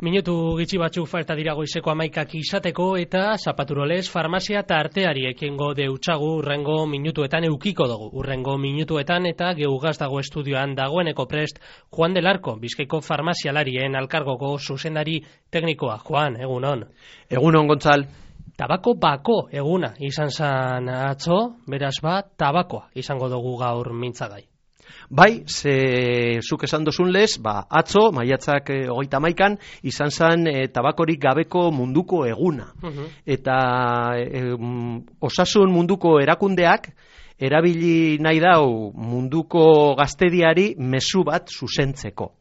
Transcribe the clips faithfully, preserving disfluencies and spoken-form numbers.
Minutu gitxi batzuk falta dira goizeko hamaikak izateko eta Zapaturoles farmazia eta arteari ekingo deutsagu urrengo minutuetan eukiko dugu. Urrengo minutuetan eta geugaz dago estudioan dagoeneko prest Juan del Arco, Bizkaiko farmazialarien alkargoko zuzendari teknikoa. Juan, egunon. Egunon, Gontzal. Tabako bako eguna izan zan atzo, beraz bat tabakoa izango dugu gaur mintzagai. Bai, ze zuk esan dozun lez, ba, atzo, maiatzak e, hogeita hamaikan, izan zen e, tabakorik gabeko munduko eguna. Uh-huh. Eta e, osasun munduko erakundeak, erabili nahi dau munduko gaztediari mezu bat zuzentzeko.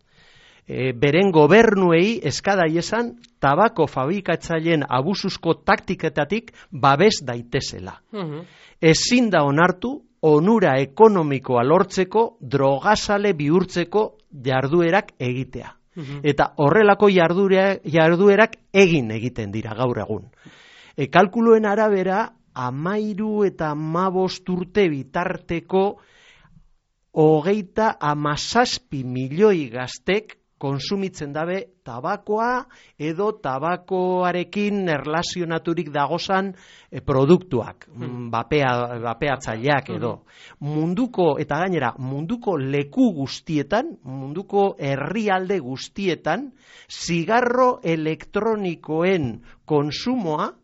E, beren gobernuei eskadai esan tabako fabrikatzaileen abusuzko taktiketatik babes daitezela. Uh-huh. Ezin da onartu onura ekonomikoa lortzeko drogazale bihurtzeko jarduerak egitea. Uh-huh. Eta horrelako jarduera, jarduerak egin egiten dira gaur egun. E, kalkuluen arabera, amairu eta amabost urte bitarteko hogeita amazazpi milioi gaztek konsumitzen dabe tabakoa edo tabakoarekin erlazionaturik dagozan e, produktuak, hmm. bapea, bapeatzaileak edo. Hmm. Munduko, eta gainera, munduko leku guztietan, munduko herrialde guztietan, zigarro elektronikoen konsumoa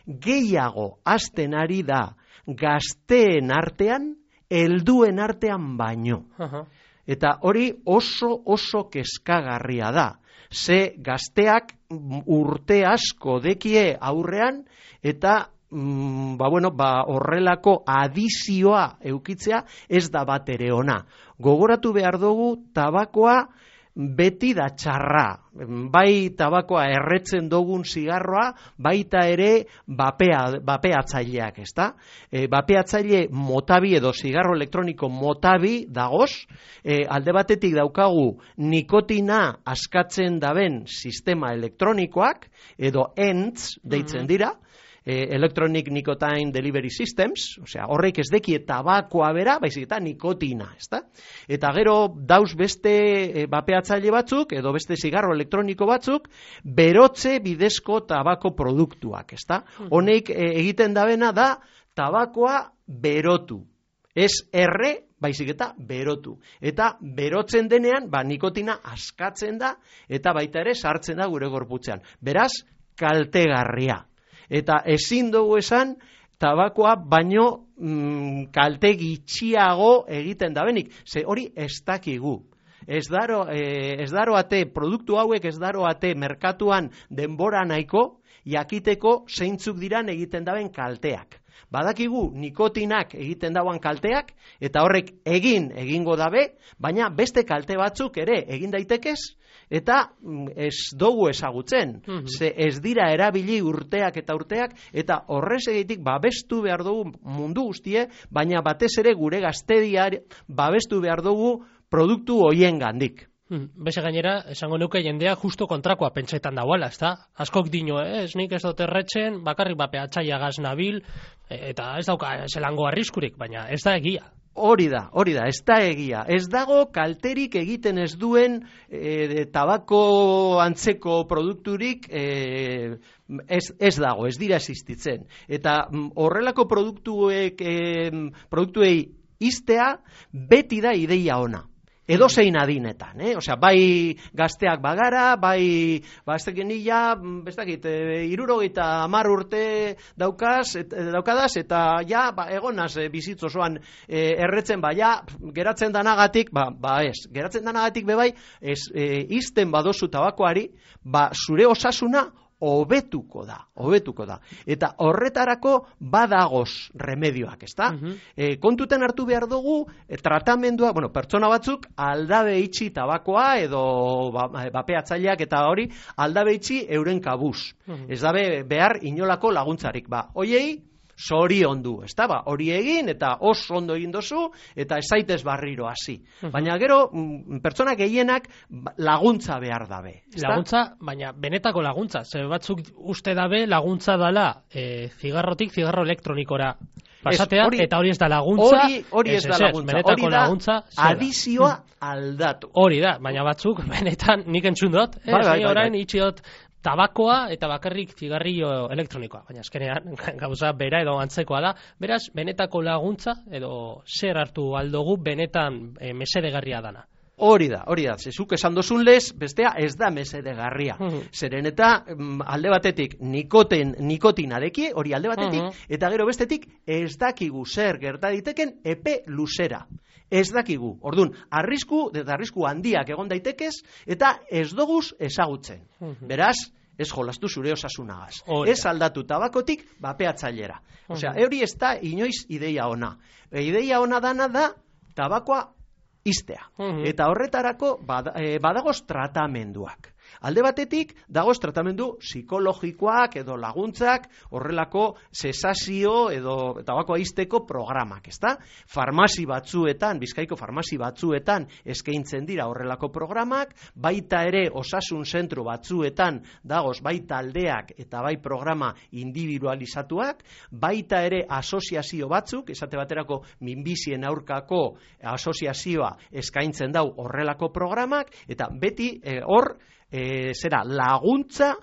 gehiago hasten ari da gazteen artean, helduen artean baino. Uh-huh. Eta hori oso oso kezkagarria da. Ze gazteak urte asko dekie aurrean eta mm, ba bueno, ba horrelako adizioa eukitzea ez da bat ere ona. Gogoratu behar dugu tabakoa beti da txarra. Bai tabakoa erretzen dugun zigarroa, baita ere bapea, bapeatzaileak, ezta? E, bapeatzaile motabi edo zigarro elektroniko motabi dagoz, e, alde batetik daukagu nikotina askatzen daben sistema elektronikoak, edo E N T S deitzen dira, Electronic Nicotine Delivery Systems, osea, horrek ez deki tabakoa bera, baizik eta nikotina, ezta? Eta gero dauz beste e, bapeatzaile batzuk, edo beste zigarro elektroniko batzuk, berotze bidezko tabako produktuak, ezta? Honek e, egiten dabena da tabakoa berotu. Ez erre, baizik eta berotu. Eta berotzen denean, ba, nikotina askatzen da, eta baita ere sartzen da gure gorputzean. Beraz, kaltegarria. Eta ezin dugu esan, tabakoa baino mm, kalte gitxiago egiten dabenik. Ze hori ez dakigu. Ez daro, eh, ez daro ate, produktu hauek ez daro ate merkatuan denbora nahiko, jakiteko zeintzuk diran egiten daben kalteak. Badakigu nikotinak egiten dauan kalteak, eta horrek egin egingo dabe, baina beste kalte batzuk ere egin daitekez, eta ez dugu ezagutzen. Mm-hmm. Ze ez dira erabili urteak eta urteak, eta horrez egitik babestu behar dugu mundu guztie, baina batez ere gure gaztediar babestu behar dugu produktu hoien gandik. Hmm. Beze gainera, esango nuke jendea justo kontrakoa pentsetan dagoela, ezta? Askok dino, eh? Ez nik ez dut erretzen, bakarrik bapeatzaia gaz nabil, eta ez dauka zelango arriskurik, baina ez da egia. Hori da, hori da, ez da egia. Ez dago kalterik egiten ez duen e, tabako antzeko produkturik e, ez, ez dago, ez dira existitzen. Eta horrelako produktuek, e, produktuei iztea beti da ideia ona. Edo zein adinetan, eh? Osea, bai gazteak bagara, bai baztekin nila, bestakit, e, irurogeita hamar urte daukaz, et, daukadaz, eta ja, ba, egonaz e, bizitzosoan e, erretzen, ba, ja, geratzen danagatik, ba, ba ez, geratzen danagatik bebai, ez, e, izten badozu tabakoari, ba, zure osasuna, hobetuko da, hobetuko da. Eta horretarako badagoz remedioak, ezta? Uh-huh. E, kontuten hartu behar dugu, e, tratamendua, bueno, pertsona batzuk aldabe itxi tabakoa edo ba, bapeatzaileak eta hori aldabe itxi euren kabuz. Uh-huh. Ez dabe behar inolako laguntzarik, ba, hoiei zoriondu, ezta? Ba, hori egin eta oso ondo egin dozu eta ez zaitez barriro hasi. Uh-huh. Baina gero pertsona gehienak laguntza behar dabe. Ezta? Laguntza, baina benetako laguntza. Ze batzuk uste dabe laguntza dala e, zigarrotik zigarro elektronikora pasatea, hori, eta hori ez da laguntza. Hori, hori ez, ez da laguntza, hori da laguntza, adizioa aldatu. Hori da, baina batzuk, benetan, nik entzun dut, eh, bai, bai, bai, orain bai. itxi dut tabakoa eta bakarrik zigarrillo elektronikoa, baina azkenean gauza bera edo antzekoa da, beraz, benetako laguntza edo zer hartu aldogu benetan e, mesedegarria dana. Hori da, hori da, zezuk esan dozun lez, bestea ez da mesedegarria. Zeren eta alde batetik nikoten, nikotinarekin, hori alde batetik, eta gero bestetik ez dakigu zer gerta diteken epe luzera. Ez dakigu. Orduan, arrisku, eta arrisku handiak egon daitekez, eta ez doguz ezagutzen. Beraz, ez jolastu zure osasunagaz. Ez aldatu tabakotik bapeatzailera. Osea, hori ez da inoiz ideia ona. E, ideia ona dana da tabakoa iztea. Eta horretarako bada, e, badagoz tratamenduak. Alde batetik, dagoz tratamendu psikologikoak edo laguntzak, horrelako sesazio edo tabakoa izteko programak, ezta? Farmazi batzuetan, Bizkaiko farmazi batzuetan eskaintzen dira horrelako programak, baita ere osasun zentru batzuetan dagoz bai taldeak eta bai programa individualizatuak, baita ere asoziazio batzuk, esate baterako minbizien aurkako asoziazioa eskaintzen dau horrelako programak, eta beti eh, hor, E, zera, laguntza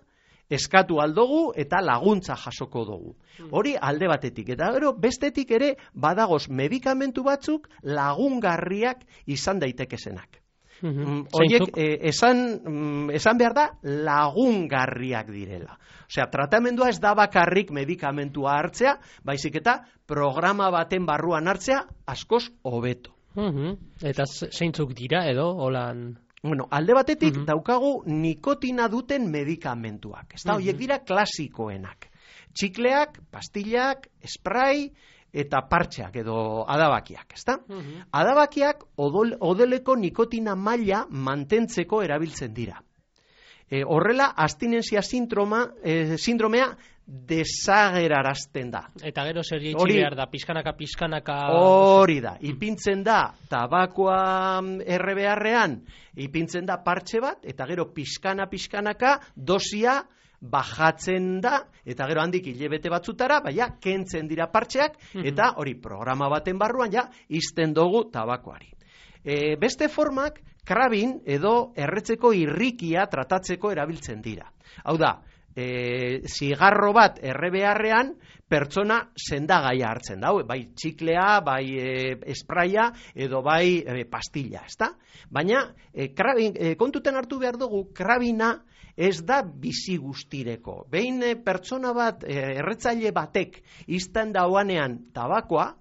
eskatu aldogu eta laguntza jasoko dugu. Hori alde batetik. Eta gero, bestetik ere badagoz medikamentu batzuk lagungarriak izan daitekezenak. Horiek, e, esan, esan behar da lagungarriak direla. Osea, tratamendua ez da bakarrik medikamentua hartzea, baizik eta programa baten barruan hartzea askoz hobeto. Eta zeintzuk dira edo, holan... Bueno, alde batetik uh-huh. daukagu nikotina duten medikamentuak. Ez da, uh-huh. horiek dira klasikoenak. Txikleak, pastillak, spray eta partxeak edo adabakiak, ez da? Uh-huh. Adabakiak odol, odeleko nikotina maila mantentzeko erabiltzen dira. E, horrela, abstinentzia sindroma, e, sindromea desagerarazten da. Eta gero zer jeitsi behar da, pizkanaka, pizkanaka... Hori da, ipintzen da tabakoa erre beharrean, ipintzen da partxe bat, eta gero pizkana, pizkanaka dosia bajatzen da, eta gero handik hilebete batzutara, baina kentzen dira partxeak, eta hori programa baten barruan ja izten dugu tabakoari. E, beste formak, krabin edo erretzeko irrikia tratatzeko erabiltzen dira. Hau da, E, zigarro bat erre beharrean pertsona sendagaia hartzen da, bai txiklea, bai e, espraia edo bai e, pastilla, ezta? Baina e, krabin, e, kontuten hartu behar dugu, krabina ez da bizi guztireko. Behin e, pertsona bat, e, erretzaile batek izten dauanean tabakoa,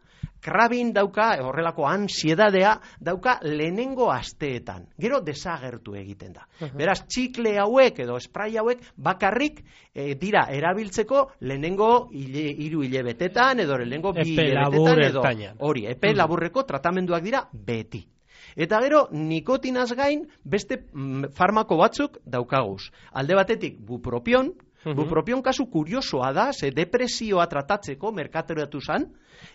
krabin dauka, horrelako ansiedadea, dauka lehenengo asteetan. Gero desagertu egiten da. Uh-huh. Beraz, txikle hauek edo esprai hauek bakarrik e, dira erabiltzeko lehenengo hile, hiru hilebetetan edo lehenengo bi hilebetetan edo hori, epe uh-huh. laburreko tratamenduak dira beti. Eta gero, nikotinaz gain beste mm, farmako batzuk daukaguz. Alde batetik, bupropion, uh-huh. bupropion kasu kuriosoa da, ze depresioa tratatzeko merkateratu zan,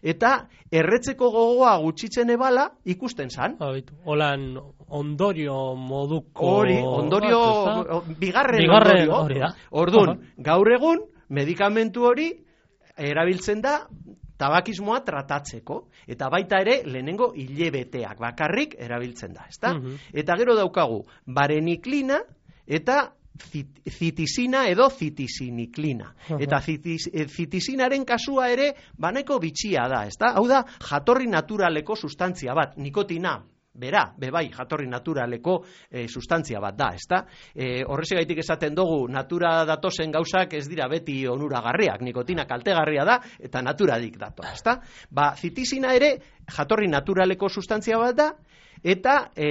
eta erretzeko gogoa gutxitzen ebala ikusten zan. Holan ondorio moduko... Hori, ondorio, bat, bigarren, bigarren ondorio. Orduan, uh-huh. gaur egun, medikamentu hori erabiltzen da tabakismoa tratatzeko, eta baita ere lehenengo hilebeteak bakarrik erabiltzen da, ezta? Uh-huh. Eta gero daukagu, bareniklina eta zitisina edo zitisiniklina. Uh-huh. Eta zitis, zitisinaren kasua ere baneko bitxia da, ezta? Hau da, jatorri naturaleko sustantzia bat, nikotina, bera, bebai, jatorri naturaleko e, sustantzia bat da, ezta? E, horrezegaitik esaten dugu, natura datozen gauzak ez dira beti onuragarriak, nikotina kaltegarria da, eta naturadik dator, ezta? Ba, zitisina ere, jatorri naturaleko sustantzia bat da, eta e,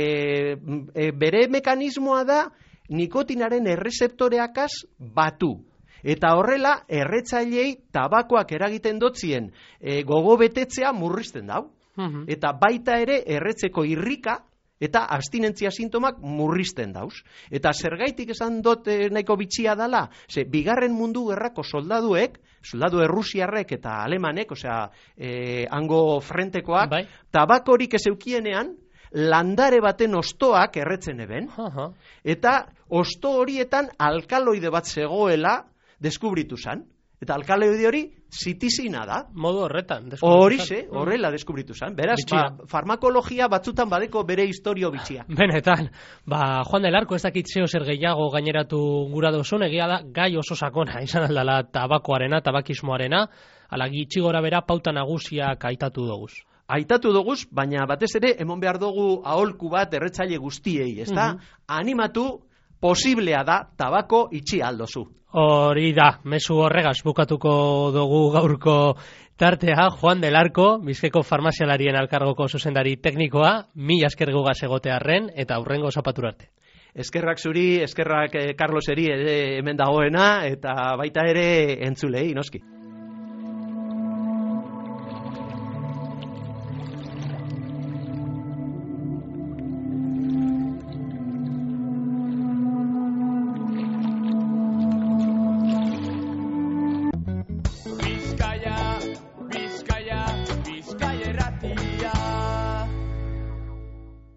e, bere mekanismoa da, nikotinaren errezeptoreakaz batu. Eta horrela, erretzailei tabakoak eragiten dotzien e, gogo betetzea murrizten dau. Uh-huh. Eta baita ere erretzeko irrika eta abstinentzia sintomak murrizten dauz. Eta zergaitik esan dut e, nahiko bitxia dala, ze bigarren mundu gerrako soldaduek, soldadu errusiarrek eta alemanek, osea, e, hango frentekoak, bai. Tabakorik ez eukienean, landare baten ostoak erretzen eben, uh-huh. eta osto horietan alkaloide bat zegoela deskubritu zan. Eta alkaloide hori zitizina da. Modu horretan. Horixe, horrela deskubritu zen. Beraz, ba, farmakologia batzutan badeko bere historio bitxia. Benetan, ba, Juan del Arco ez dakit zeo zer gehiago gaineratu gura dozun, egia da, gai oso sakona, izan aldala tabakoarena, tabakismoarena, ala gitxi gora bera pauta nagusiak aitatu doguz. Aitatu doguz, baina batez ere, emon behar dugu aholku bat erretzaile guztiei, ezta? Mm -hmm. Animatu, posiblea da, tabako itxi aldozu. Hori da, mezu horregaz bukatuko dugu gaurko tartea, Juan del Arco, Bizkaiko farmazialarien elkargoko zuzendari teknikoa, mila esker gugaz egotearren, eta aurrengo zapatura arte. Eskerrak zuri, eskerrak eh, Carloseri ere hemen dagoena, eta baita ere entzulei, noski.